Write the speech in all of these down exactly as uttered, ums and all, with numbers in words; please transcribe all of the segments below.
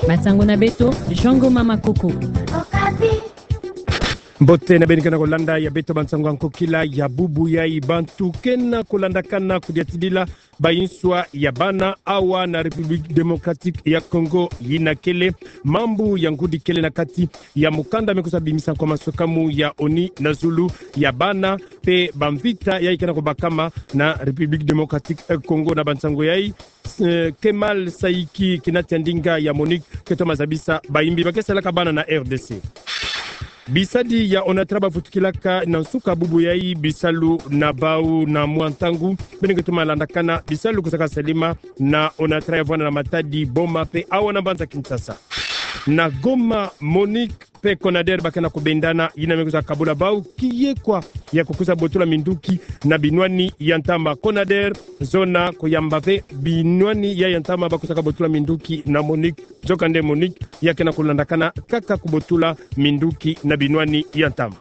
Bansango na beto, Jean Ngoma Makoko. Mbote na beno ke na kolanda ya beto bansango ya nkokila ya bubu yai. Bantu ke na kolandakana kodiatidila bainswa ya bana awa na République Démocratique ya Congo yina kele mambu ya ngudi kele na kati ya mukanda me kwiza bimisa nkwa masukamu ya ONU na zulu ya bana mpe bamvita yai ke na kobakama na République Démocratique ya Congo. Na bansango yai, eh, Kemal Saiki, kina tia ndinga ya MONUC, ke toma zabisa bayimbi ba ke salaka bana na RDC. Bisadi ya ONATRA bavutukilaka na nsuka bubu yai bisalu na bau na mwa ntangu. Beno ke toma landakana bisalu kwizaka salema na ONATRA ya vwanda na Matadi, Boma mpe awa na mbanza Kinshasa. Na Goma, MONUC mpe CONADER ba ke na kobendana, yina me kwiza kabula bau kiekwa ya kukwiza botola minduki na binwani ya ntama. CONADER zona koyamba ve binwani ya ya ntama ba kwizaka botola minduki na MONUC. Nzokande MONUC ya ke na kolandakana kaka kobotola minduki na binwani ya ntama.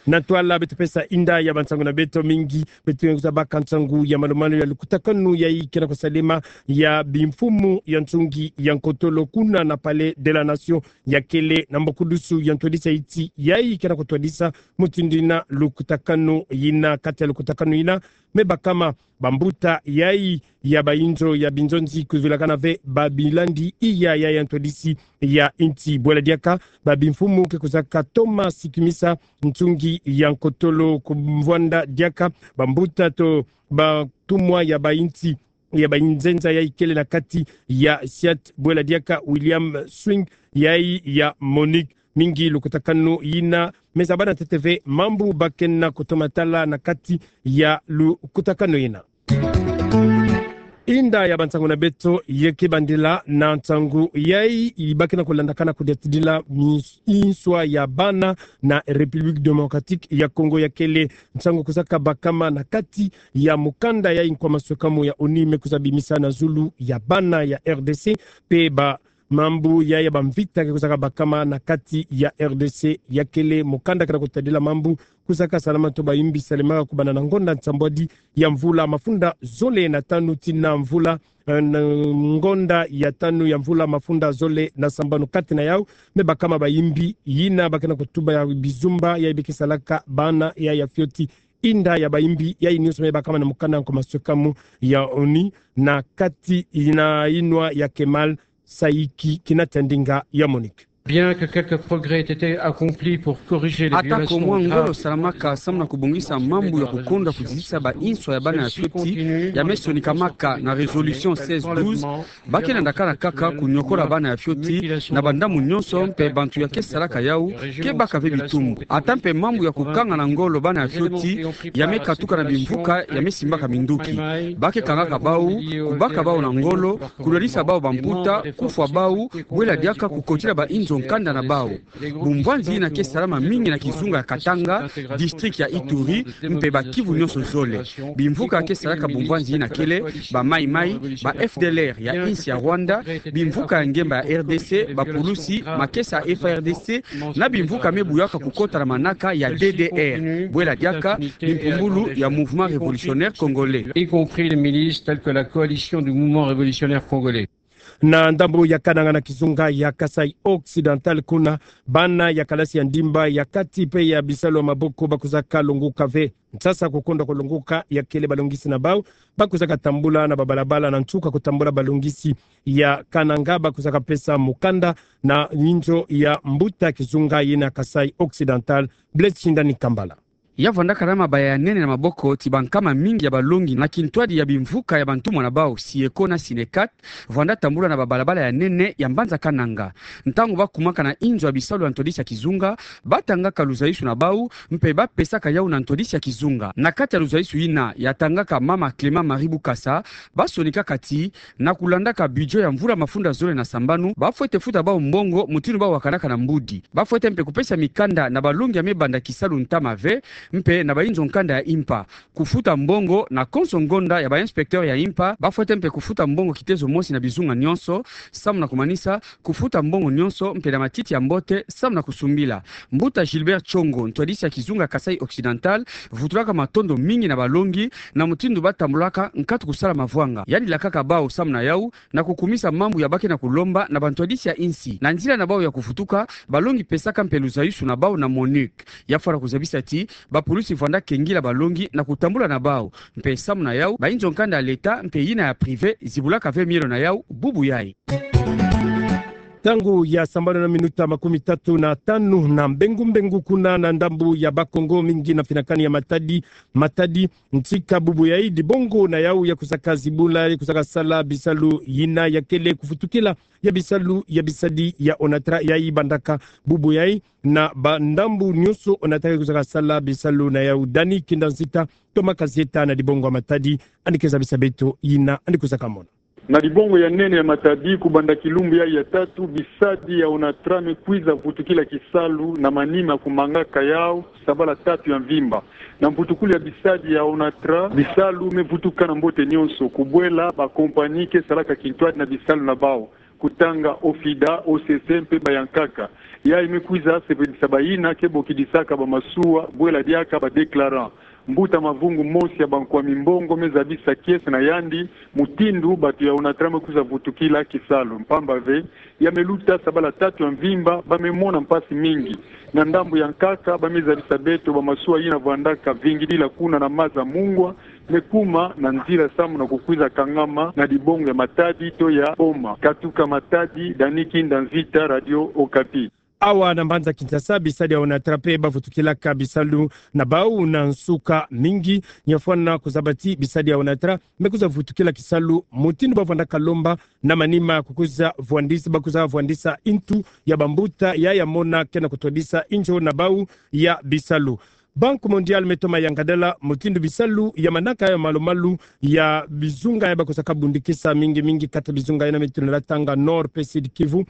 Na ntwala beto pesa inda ya bansango na beto mingi, beto ke kwiza baka nsangu ya malu-malu ya lukutakanu yai ke na kosalema ya bimfumu ya nsungi ya nkotolo kuna na Palais de la Nation ya kele na mbokudusu ya ntwadisi ya insi yai ke na kotwadisa mutindu yina lukutakanu yina. Kati ya lukutakanu yina me bakama bambuta yai ya bainzo ya binzonzi kuvilakana ve babilandi iya ya ya ntwadisi ya insi. Bwela diaka babimfumu ke kwizaka toma sikimisa nsungi ya nkotolo ku mvwanda diaka bambuta to batumwa ya bainsi ya bainzenza yai kele na kati ya SIAT. Bwela diaka William Swing yai ya MONUC. Mingi lukutakanu yina me zabana ntete ve mambu ba ke na kotoma tala na kati ya lukutakanu yina. Inda ya bansango na beto ye ke bandila na nsangu yai ba ke na kolandakana kodiatidila mi-, inswa ya bana na République Démocratique ya Congo ya kele nsangu kwizaka bakama na kati ya mukanda ya nkwa masukamu ya ONU me kwiza bimisa na zulu ya bana ya RDC mpe ba mambu ya ya bamvita ke kwizaka bakama na kati ya RDC ya kele mukanda ke na kotadila mambu kwizaka salama to bayimbi salemaka kubanda na ngonda nsambwadi ya mvula mafunda zole na tanu tii na mvula, eh, na ngonda ya tanu ya mvula mafunda zole na sambanu. Kati na yau me bakama bayimbi yina ba ke na kotuba ya bizumba yai be ke salaka bana ya ya fioti. Inda ya bayimbi yai nyonso me bakama na mukanda nkwa masukamu ya ONU na kati na inwa ya Kemal Saiki kina tia ndinga ya MONUC. Bien que quelques progrès aient été accomplis pour corriger les violations graves. Ata ko mwa ngolo salamaka samu na kubongisa mambu ya kukonda kuzisa ba inswa ya bana ya fioti, ya me sonikamaka na résolution seize douze, ba ke landakana kaka kunyokola bana ya fioti na bandambu nyonso, mpe bantu ya ke salaka yau ke baka ve bitumbu. Ata mpe mambu ya kukanga na ngolo bana ya fioti ya me katuka na bimvuka ya me simbaka minduki. Ba ke kangaka bau, kubaka bau na ngolo, kulalisa bau bamputa, kufwa bau, bwela diaka kukotila ba inzo nkanda na bau. Bumvwanzi yina ke salama mingi na kizunga ya Katanga, district ya Ituri, mpe ba Kivu nyonso zole. Bimvuka ke salaka bumvwanzi yina kele ba Mai Mai, ba FDLR ya insi ya Rwanda, bimvuka ya ngemba ya RDC, bapulusi, makesa ya FARDC, na bimvuka me buyaka kukota na manaka ya DDR. Bwela diaka bimpumbulu ya Mouvement Révolutionnaire Congolais, y compris les milices telles que la Coalition du Mouvement Révolutionnaire Congolais. Na ndambu ya Kananga na kizunga ya Kasaï Occidental kuna, bana ya kalasi ya ndimba ya kati mpe ya bisalu ya maboko ba kwizaka longoka ve. Nsasa kukonda kolongoka ya kele balongisi na bau, ba kwizaka tambula na babalabala na nsuka kutambula balongisi ya Kananga ba kwizaka pesa mukanda na inzo ya mbuta kizunga yina Kasaï Occidental, Blaise Shindani Kambala. Ya vwandaka na mabaya ya nene na maboko ti bankama mingi ya balongi na kintwadi ya bimvuka ya bantumwa na bau, SIECO na SYNECAT, vwanda tambula na babalabala ya nene ya mbanza Kananga. Ntangu ba kumaka na inzo ya bisalu ya ntwadisi ya kizunga, ba tangaka luzaisu na bau, mpe ba pesaka yau na ntwadisi ya kizunga. Na kati ya luzaisu yina ya tangaka mama Clément Marie Bukasa, ba sonikaka ti, na kulandaka budget ya mvula mafunda zole na sambanu, ba fwete futa bau mbongo mutindu ba wakanaka na mbudi. Ba fwete mpe kupesa mikanda na balongi ya me banda kisalu ntama ve, Mpe na bainzo nkanda ya impa, kufuta mbongo na konso ngonda ya ba inspecteur ya impa, bafwete mpe kufuta mbongo kitezo mosi na bizunga nyonso, samu na kumanisa kufuta mbongo nyonso mpe na matiti ya mbote, samu na kusumbila. Mbuta Gilbert Tshongo, ntwadisi ya kizunga Kasaï Occidental, vutulaka matondo mingi na balongi na mutindu batambulaka nkatu kusala mavwanga. Yandi lakaka bau samu na yau na kukumisa mambu ya ba ke na kulomba na bantwadisi ya insi. Na nzila na bau ya kuvutuka, balongi pesaka mpe luzayusu na bau na MONUC. Ya fwana kuzabisa ti bapulusi vwanda kengila balongi na kutambula na bau. Mpe samu na yau, bainzo nkanda ya leta mpe yina ya privé zibulaka ve mielo na yau bubu yayi. Ntangu ya sambanu na minuta makumi tatu na tanu na mbengu mbengu kuna na ndambu ya Bas-Congo, mingi na finakani ya Matadi, Matadi, ntika bubu yayi dibongo na yau ya kuzaka zibula, ya kuzaka sala bisalu yina ya kele kuvutukila ya bisalu ya bisadi ya ONATRA yayi bandaka bubu yayi na bandambu nyonso ONATRA ya kuzaka sala bisalu na yau. Dani Kinda Nzita, Thomas Kazieta na dibongo ya Matadi, yandi ke zabisa beto yina yandi kuzaka mona. Na dibongo ya nene ya Matadi, kubanda kilumbu yayi ya tatu, bisadi ya ONATRA me kwiza vutukila kisalu na manima kumangaka yau sabala tatu ya mvimba. Na mvutukulu ya bisadi ya ONATRA, bisalu me vutuka na mbote nyonso, kubwela ba compagnie ke salaka kintwadi na bisalu na bau, kutanga OFIDA, OCC mpe bayankaka. Yayi me kwiza sepelisa bayina ke bokidisaka bamasuwa, bwela diaka ba déclarant. Mbuta Mavungu, mosi ya bankwami mbongo, me zabisa kiese na yandi mutindu bantu ya ONATRA me kwiza vutukila kisalu, mpamba ve ya me luta sabala tatu ya mvimba, ba me mona mpasi mingi. Na ndambu ya nkaka, ba me zabisa beto bamasuwa yina vwandaka vingidila kuna na maza mungwa, me kuma na nzila samu na kukwiza kangama na dibongo ya Matadi to ya Boma. Katuka Matadi, Dani Kinda Nzita, Radio Okapi. Awa na mbanza Kinshasa, bisadi ya ONATRA mpe bavutukilaka bisalu na bau na nsuka mingi. Nyafwana kuzaba ti bisadi ya ONATRA me kwiza vutukila kisalu mutindu bavwandaka lomba, na manima kukwiza vwandisa, bakwiza vwandisa intu ya bambuta ya ya mona ke na kutwadisa inzo na bau ya bisalu. Banque Mondiale me toma yangadala mutindu bisalu ya manaka ya malu-malu ya bizunga ya bakusaka bundikisa mingi-mingi, kati bizunga yina me tunela tanga Nord mpe Sud Kivu,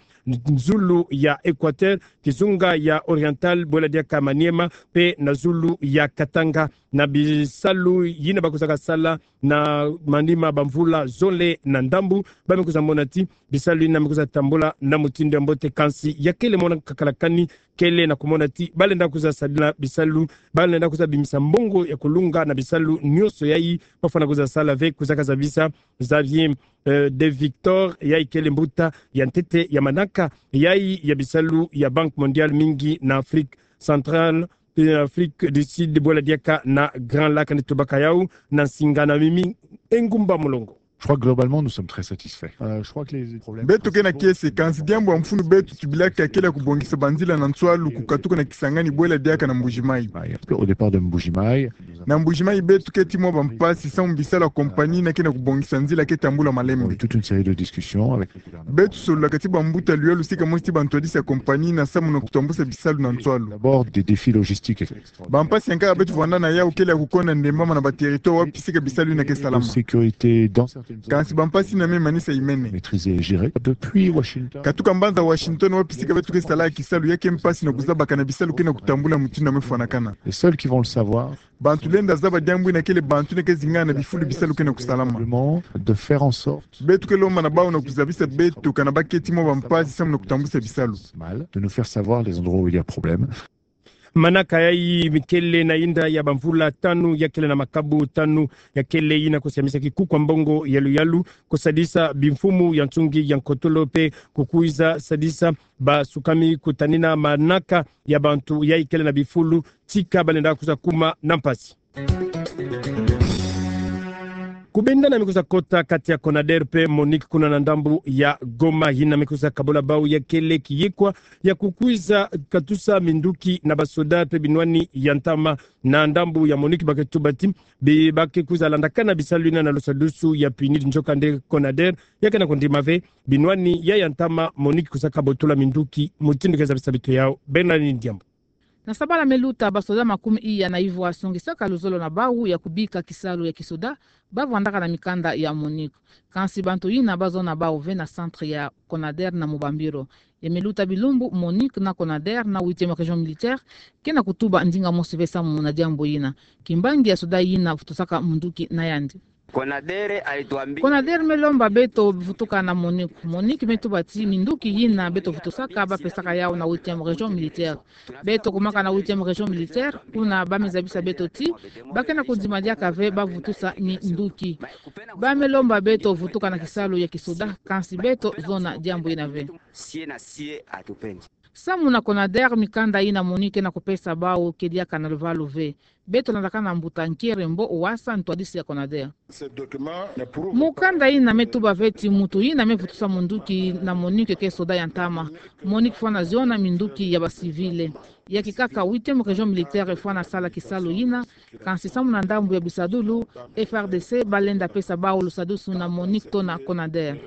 zulu ya Equateur, kizunga ya Oriental, bwela diaka Maniema, mpe na zulu ya Katanga. Na bisalu yina bakusaka sala na manima bamvula zole na ndambu, ba me kwiza mona ti bisalu yina me kwiza tambula na mutindu ya mbote, kansi ya kele mona kakala kani kele na kumona ti balenda kwiza sadila bisalu, balenda kwiza bimisa mbongo ya kulunga na bisalu nyonso yayi bafwana kwiza sala ve, kwiza kazabisa Xavier, euh, de Victor, yayi kele mbuta ya ntete ya manaka yayi ya bisalu ya Banque Mondiale, mingi na Afrique Centrale, euh, Afrique du Sud, bwela diaka na Grand Lac. Ni tubaka yau na nsinga na mimi engumba mulongo. Je crois que globalement, nous sommes très satisfaits. Euh, je crois que les problèmes principaux... Beto ke na kiese, kansi diambu ya mfunu beto tubilaka ya kele ya kubongisa banzila na nswalu kukatuka na Kisangani bwela diaka na Mbuji-Mayi. Au départ de Mbuji-Mayi. Na Mbuji-Mayi beto keti mwa bampasi samu bisalu ya compagnie yina ke na kubongisa nzila ke tambula malembe. Toute une série de discussions avec le gouvernement. Beto sololaka ti bambuta luyalu sika mosi ti bantwadisi ya compagnie yina samu na kutambusa bisalu na nswalu. D'abord, des défis logistiques. Bampasi ya nkaka beto vwanda na yau kele ya kukonda ndembama na ba territoire wapi sika bisalu yina ke salama. Sécurité dans certaines zones. Kansi bampasi yina me manisa yimene. Maîtrisé et géré depuis Washington. Katuka mbanza Washington wapi sika beto ke sala kisalu, ya ke mpasi na kuzabakana bisalu ke na kutambula mutindu ya me fwanakana. Les seuls qui vont le savoir. Bantu lenda zaba diambu yina kele bantu yina ke zingana na bifulu bisalu ke na kusalama. De faire en sorte. Beto ke lomba na bau na kuzabisa beto kana ba keti mwa bampasi samu na kutambusa bisalu. Mal, de nous faire savoir les endroits où il y a problème. Manaka yayi mi kele na yinda ya bamvula tanu, ya kele na makabu tanu, ya kele yina kusiamisa kikuku ya mbongo ya luyalu, kusadisa bimfumu ya nsungi ya nkotolo mpe kukwiza sadisa basukami kutanina manaka ya bantu yayi kele na bifulu, tika balenda kwiza kuma na mpasi. Kubendana mi kwiza kota kati ya CONADER mpe MONUC kuna na ndambu ya Goma, yina mi kwiza kabula bau ya kele kiyikwa ya kukwiza katusa minduki na basoda mpe binwani ya ntama na ndambu ya MONUC. Ba ke tuba ti bi ba ke kwiza landakana bisalu yina na lusadusu ya PNUD, nzokande CONADER ya ke na kundima ve binwani ya ya ntama MONUC kwiza kabotola minduki mutindu ke zabisa beto yau. Bernardine Diambu. Na sabala me luta, basoda makumi iya na ivwa songisaka luzolo na bau ya kubika kisalu ya kisoda, ba vwandaka na mikanda ya MONUC. Kansi bantu yina ba zona bau ve na centre ya CONADER na Mubambiro. Ya me luta bilumbu, Monique na Conader na huitième région militaire ke na kutuba ndinga mosi ve samu na diambu yina. Kimbangi ya soda yina vutusaka munduki na yandi. Conader alituambia. Conader me lomba beto vutuka na Monique. Monique me tuba ti minduki yina beto vutusaka ba pesaka yau na huitième région militaire. Beto kumaka na huitième région militaire, kuna ba me zabisa beto ti ba ke na kudima diaka ve ba vutusa ni nduki. Ba me lomba beto vutuka na kisalu ya kisoda, kansi beto zona diambu yina ve. Sie na sie atupendi. Samu na Conader, mikanda yina Monique ke na kupesa bau ke diaka na luvalu ve. Beto landaka na mbuta Nkere Mbo Wasa, ntwadisi ya Conader. Mukanda yina me tuba ve ti muntu yina me vutusa munduki na Monique ke soda ya ntama. Monique fwana ziona minduki ya ba civil. Ya kikaka, huitième région militaire fwana sala kisalu yina, kansi samu na ndambu ya bisadulu, F R D C ba lenda pesa bau lusadusu na Monique to na Conader.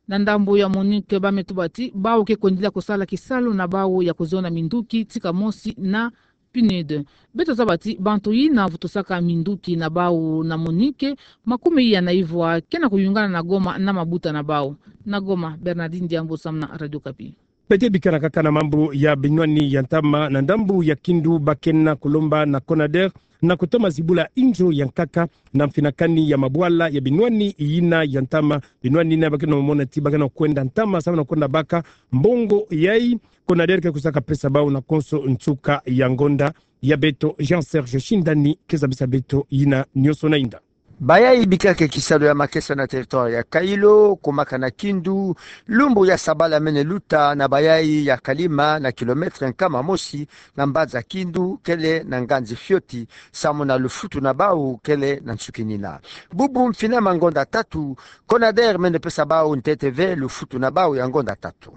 Na ndambu ya Monique, ba me tuba ti bau ke kwendila kusala kisalu na bau ya kuziona minduki, tika mosi na PNUD. Beto zaba ti bantu yina vutusaka minduki na bau na Monique, makumi iya na ivwa, ke na kuyungana na Goma na mabuta na bau. Na Goma, Bernardine Diambu samu na Radio Okapi. Beto bikana kaka na mambu ya binwani ya ntama. Na ndambu ya Kindu, ba ke na kulomba na Conader na kutoma zibula inzo ya nkaka na mfinakani ya mabwala ya binwani yina ya ntama. Binwani yina ba ke na mona ti ba ke na kwenda ntama samu na kwenda baka mbongo yayi. Conader ke kusaka pesa bau na konso nsuka ya ngonda. Ya beto, Jean Serge Shindani ke zabisa beto yina nyonso na inda. Bayayi bikaka kisalu ya makesa na territoire ya Kailo, kumaka na Kindu, lumbu ya sabala mene luta na bayayi ya Kalima, na kilomètre nkama mosi na mbanza Kindu, kele na nganzi fioti, samu na lufutu na bau kele na nsukinina. Bubu mfina ma ngonda tatu, Conader mene pesa bau ntete ve lufutu na bau ya ngonda tatu.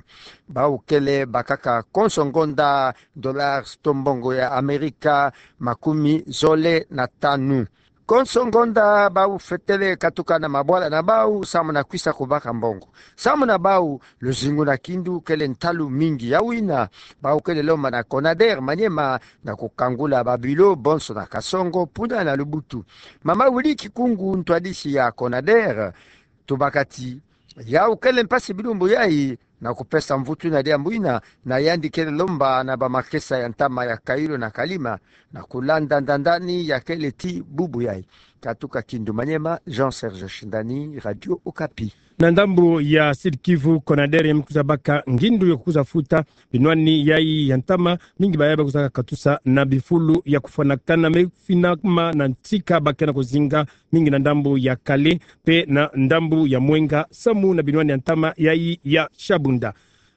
Bau kele bakaka konso ngonda dollars to mbongo ya Amerika makumi zole na tanu. Konso ngonda bau fetele katuka na mabwala na bau samu na kwisa kubaka mbongo. Samu na bau, luzingu na Kindu kele ntalu mingi. Ya wina, bau kele lomba na Conader Maniema na kukangula ba bureau bonso na Kasongo, Puna na Lubutu. Mama Willy Kikungu, ntwadisi ya Conader, tubaka ti yau kele mpasi bilumbu yayi na kupesa mvutu na diambu yina, na yandi kele lomba na ba makesa ya ntama ya Kailo na Kalima na kulanda ndandani ya kele ti bubu yayi. Katuka Kindu Maniema, Jean Serge Shindani, Radio Okapi. Na ndambu ya Sud-Kivu, Conader ya me kwiza baka ngindu ya kwiza futa binwani yayi ya ntama. Mingi bayayi ba kwizaka katusa na bifulu ya kufwanakana me finama na ntika ba ke na kuzinga, mingi na ndambu ya Kale mpe na ndambu ya Mwenga samu na binwani ya ntama yayi ya Shabunda.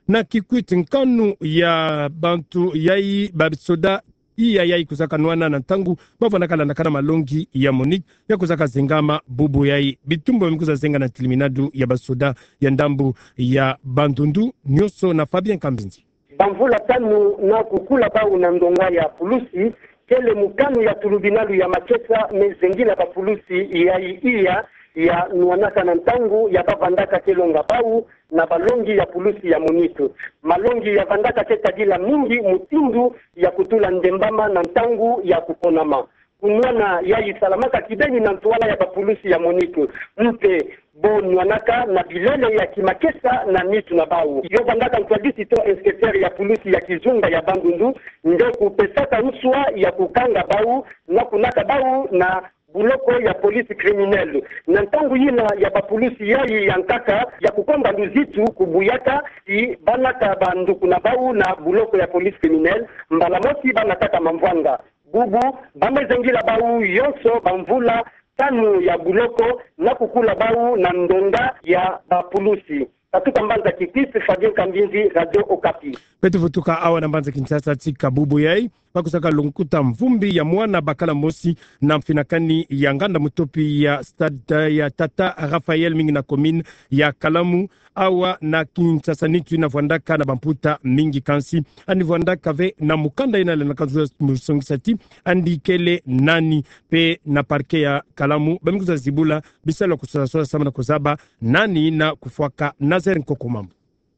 Na Kikwit, nkanu ya bantu yayi ba soda iya yayi kwizaka nwana na ntangu ba fwanaka landakana malongi ya Monique ya kwizaka zengama bubu yayi. Bitumbu ba me kwiza zenga na tiliminadu ya ba soda ya ndambu ya Bandundu, nyonso na Fabien Kambinzi. Bamvula tanu na kukula bau na ndonga ya pulusi, kele mukanu ya tulubinalu ya makesa me zengila bapulusi yayi iya ya nwanaka na ntangu ya ba vandaka ke longa bau na balongi ya pulusi ya Monique. Malongi ya vandaka ke tadila mingi mutindu ya kutula ndembama na ntangu ya kuponama. Kunwana yayi salamaka kibeni na ntwala ya bapulusi ya Monique. Mpe bo nwanaka na bilele ya kimakesa na nitu na bau. Yo vandaka ntwadisi to inspecteur ya pulusi ya kizunga ya Bandundu nde kupesaka nswa ya kukanga bau na kunata bau na buloko ya police criminelle. Na ntangu yina ya bapulusi yayi ya nkaka ya kukomba luzitu kubuyaka ti ba nata banduku na bau na buloko ya police criminelle, mbala mosi ba nataka mamvwanga. Bubu ba me zengila bau yonso bamvula tanu ya buloko na kukula bau na ndonga ya bapulusi. Katuka mbanza Kikwit, Fabien Kambinzi, Radio Okapi. Beto vutuka awa na mbanza Kinshasa, tika bubu yayi ba kwizaka longuta mvumbi ya mwana bakala mosi na mfinakani ya nganda mutopi ya stade ya Tata Raphaël, mingi na commune ya Kalamu. Awa na Kinshasa nitu yina vwandaka na bamputa mingi, kansi yandi vwandaka ve na mukanda yina lenda kwiza musongisa ti yandi kele nani. Mpe na parquet ya Kalamu ba me kwiza zibula bisalu ya kusola sola samu na kuzaba nani yina kufwaka Nazaire Nkoko Mambu.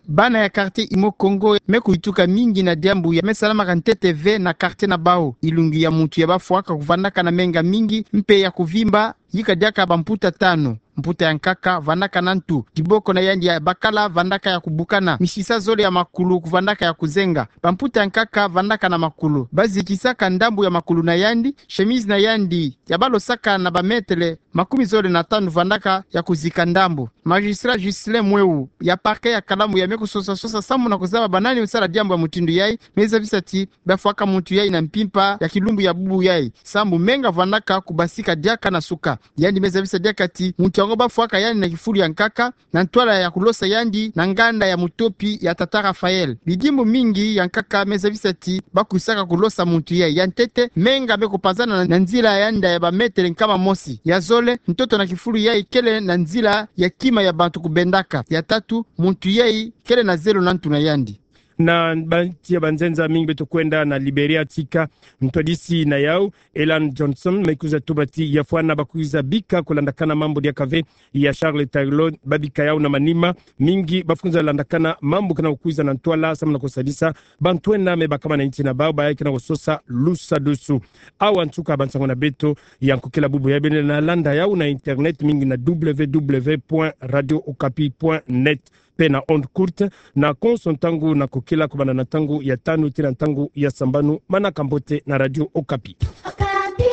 Bana ya quartier Imo Kongo me kuyituka mingi na diambu ya me salamaka ntete ve na quartier na bau. Ilungi ya muntu ya ba fwaka kuvandaka na menga mingi mpe ya kuvimba yika diaka bamputa tanu. Mputa ya nkaka vandaka na ntu. Diboko na yandi ya bakala vandaka ya kubukana. Misisa zole ya makulu vandaka ya kuzenga. Bamputa ya nkaka vandaka na makulu. Bazikisaka ndambu ya makulu na yandi, chemise na yandi ya balosaka na bametele makumi zole na tanu vandaka ya kuzika ndambu. Magistrat Ghislain Mweu, ya parquet ya Kalamu, ya me kusosa-sosa sambu na kuzaba banani me sala diambu ya mutindu yai, me zabisa ti bafwaka muntu yai na mpimpa ya kilumbu ya bubu yai, sambu menga vandaka kubasika diaka na suka. Yandi me zabisa diaka ti muntu yango bafwaka yandi na kifulu ya nkaka, na ntwala ya kulosa yandi na nganda ya mutopi ya tata Raphaël. Bidimbu mingi ya nkaka me zabisa ti bakwisaka kulosa muntu yai. Ya ntete, menga me kupanzana na, na nzila ya nda ya bametele nkama mosi. Ya zole, ntoto na kifulu yai kele na nzila ya kima ya bantu kubendaka. Ya tatu, muntu yai kele na zelo na ntu na yandi. Na ba nti ya banzenza mingi beto kwenda na Liberia, tika ntwadisi na yau, Ellen Johnson, me kwiza tuba ti ya fwana bakwiza bika kulandakana mambu diaka ve ya Charles Taylor, babika yau na manima, mingi bafwinza landakana mambu kana kukwiza na ntwala sambu na kusadisa bantu ena me bakama na nti na bau, bayi kana kusosa lusadusu. Awa nsuka ba nsangu na beto ya nkokila bubu yai. Beno lenda na landa yau na internet, mingi na W W W point radio okapi point net pe na onde courte, na konso ntangu na kokila, kobanda na ntangu ya tanu tii na ntangu ya sambanu. Manaka mbote na Radio Okapi. Okapi.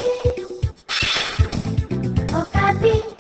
Okapi.